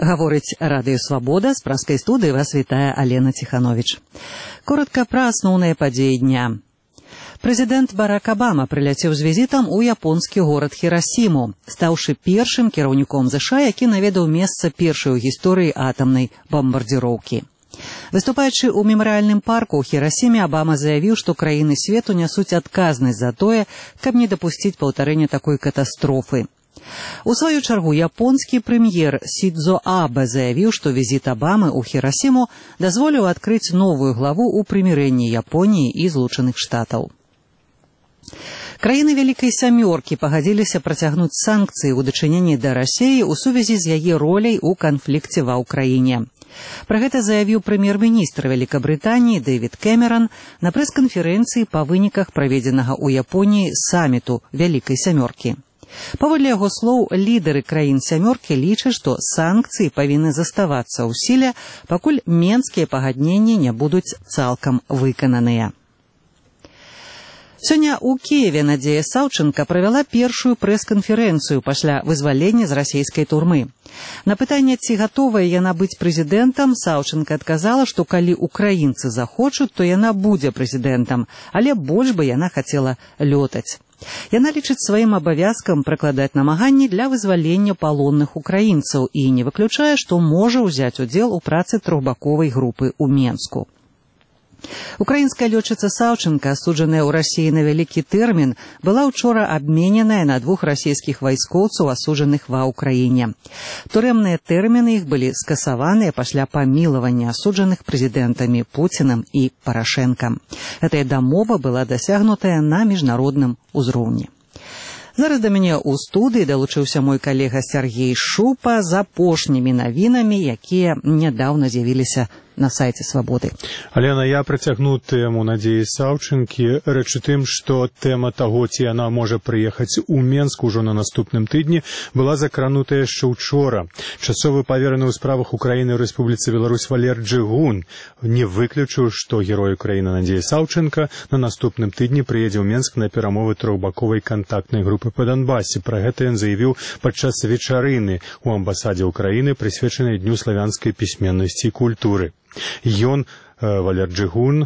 Гаворыць Радыё Свабода, з праскай студыі вас вітае Алена Ціхановіч. Коротка пра асноўныя падзеі дня. Прэзідэнт Барак Абама прыляцеў з візітам у японскі горад Хірасіму, стаўшы першым кіраўніком ЗША, які наведаў месца першай у гісторыі атамнай бамбардзіроўкі. Выступаючы ў мемарыяльным парку ў Хірасіме, Абама заявіў, што краіны свету нясуць адказнасць за тое, каб не дапусціць паўтарэння такой катастрофы. У сваю чаргу японскі прэм'ер Сідзо Абэ заявіў, што візіт Абамы ў Хірасіму дазволіў адкрыць новую главу ў прымірэнні Японіі і Злучаных Штатаў. Краіны Вялікай Сямёркі пагадзіліся працягнуць санкцыі ў дачыненні да Расіі ў сувязі з яе роляй у канфлікце ва ўкраіне. Пра гэта заявіў прэм'ер-міністр Вялікабрытаніі Дэвід Кэмеран на прэс-канферэнцыі па выніках праведзенага ў Японіі саміту Вялікай Сямёркі. Паводле яго слоў, лідары краін сямёркі лічаць, што санкцыі павінны заставацца ў сіле, пакуль менскія пагадненні не будуць цалкам выкананыя. Сёння ў Кіеве Надзея Саўчэнка правяла першую прэс-канферэнцыю пасля вызвалення з расійскай турмы. На пытанне, ці гатовая яна быць прэзідэнтам, Саўчэнка адказала, што калі украінцы захочуць, то яна будзе прэзідэнтам, але больш бы яна хацела лётаць. Яна лічыць сваім абавязкам прыкладаць намаганні для вызвалення палонных украінцаў і не выключае, што можа ўзяць удзел у працы трохбаковай групы ў Менску. Украінская лётчыца Саўчэнка, асуджаная ў Расіі на вялікі тэрмін, была ўчора абмененая на 2 расійскіх вайскоўцаў, асуджаных ва ўкраіне. Турэмныя тэрміны іх былі скасаваныя пасля памілавання асуджаных прэзідэнтамі Пуцінам і Парашэнкам. Гэтая дамова была дасягнутая на міжнародным узроўні. Зараз да мяне ў студыі далучыўся мой калега Сергей Шупа з апошнімі навінамі, якія нядаўна з'явіліся на сайце Свабоды. Алена, я працягну тэму Надзеі Саўчэнкі. Рэч у тым, што тэма таго, ці яна можа прыехаць у Менск ужо на наступным тыдні, была закранутая яшчэ учора. Часовы павераны ў справах Украіны ў Рэспубліцы Беларусь Валер Джыгун не выключыў, што герой Украіны Надзея Саўчэнка на наступным тыдні прыедзе ў Менск на перамовы трохбаковай кантактнай групы па Донбасе. Пра гэта ён заявіў падчас вечарыны ў амбасадзе Украіны, прысвечанай Дню славянскай пісьменнасці і культуры. Ён, Валер Джыгун,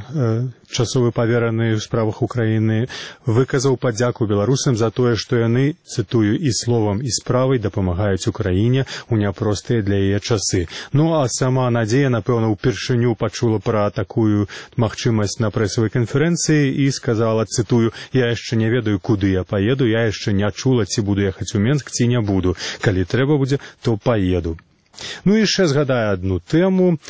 часовы павераны ў справах Украіны, выказаў падзяку беларусам за тое, што яны, цытую, і словам, і справай дапамагаюць Украіне ў няпростыя для яе часы. Ну, а сама Надзея, напэўна, упершыню пачула пра такую магчымасць на прэсавай канферэнцыі і сказала, цытую, «Я яшчэ не ведаю, куды я паеду, я яшчэ не чула, ці буду ехаць у Менск, ці не буду. Калі трэба будзе, то паеду». Ну і яшчэ згадаю адну тэму.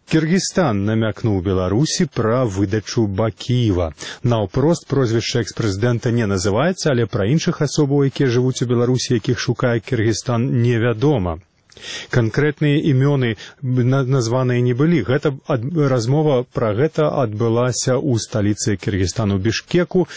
Кыргызстан намякнуў Беларусі пра выдачу Бакіева. Наўпрост прозвішча экс-прэзідэнта не называецца, але пра іншых асобаў, якія жывуць у Беларусі, якіх шукае Кыргызстан, невядома. Канкрэтныя імёны названыя не былі. Размова пра гэта адбылася ў сталіцы Кыргызстану Бішкеку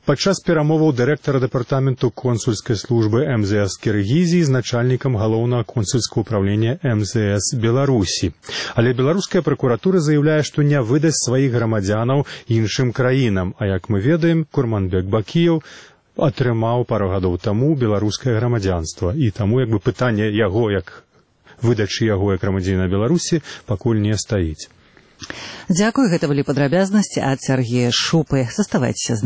падчас перамоваў дырэктара дэпартаменту консульскай службы МЗС Кыргызіі з начальнікам галоўнага консульскага ўправлення МЗС Беларусі. Але беларуская пракуратура заяўляе, што не выдасць сваіх грамадзянаў іншым краінам, а як мы ведаем, Курманбек Бакіеў атрымаў пару гадоў таму беларускае грамадзянства, і таму як бы пытанне яго, як выдачы яго як грамадзяніна Беларусі, пакуль не стаіць. Дзякуй, гэта былі падрабязнасці ад Сергея Шупы. Заставайцеся з намі.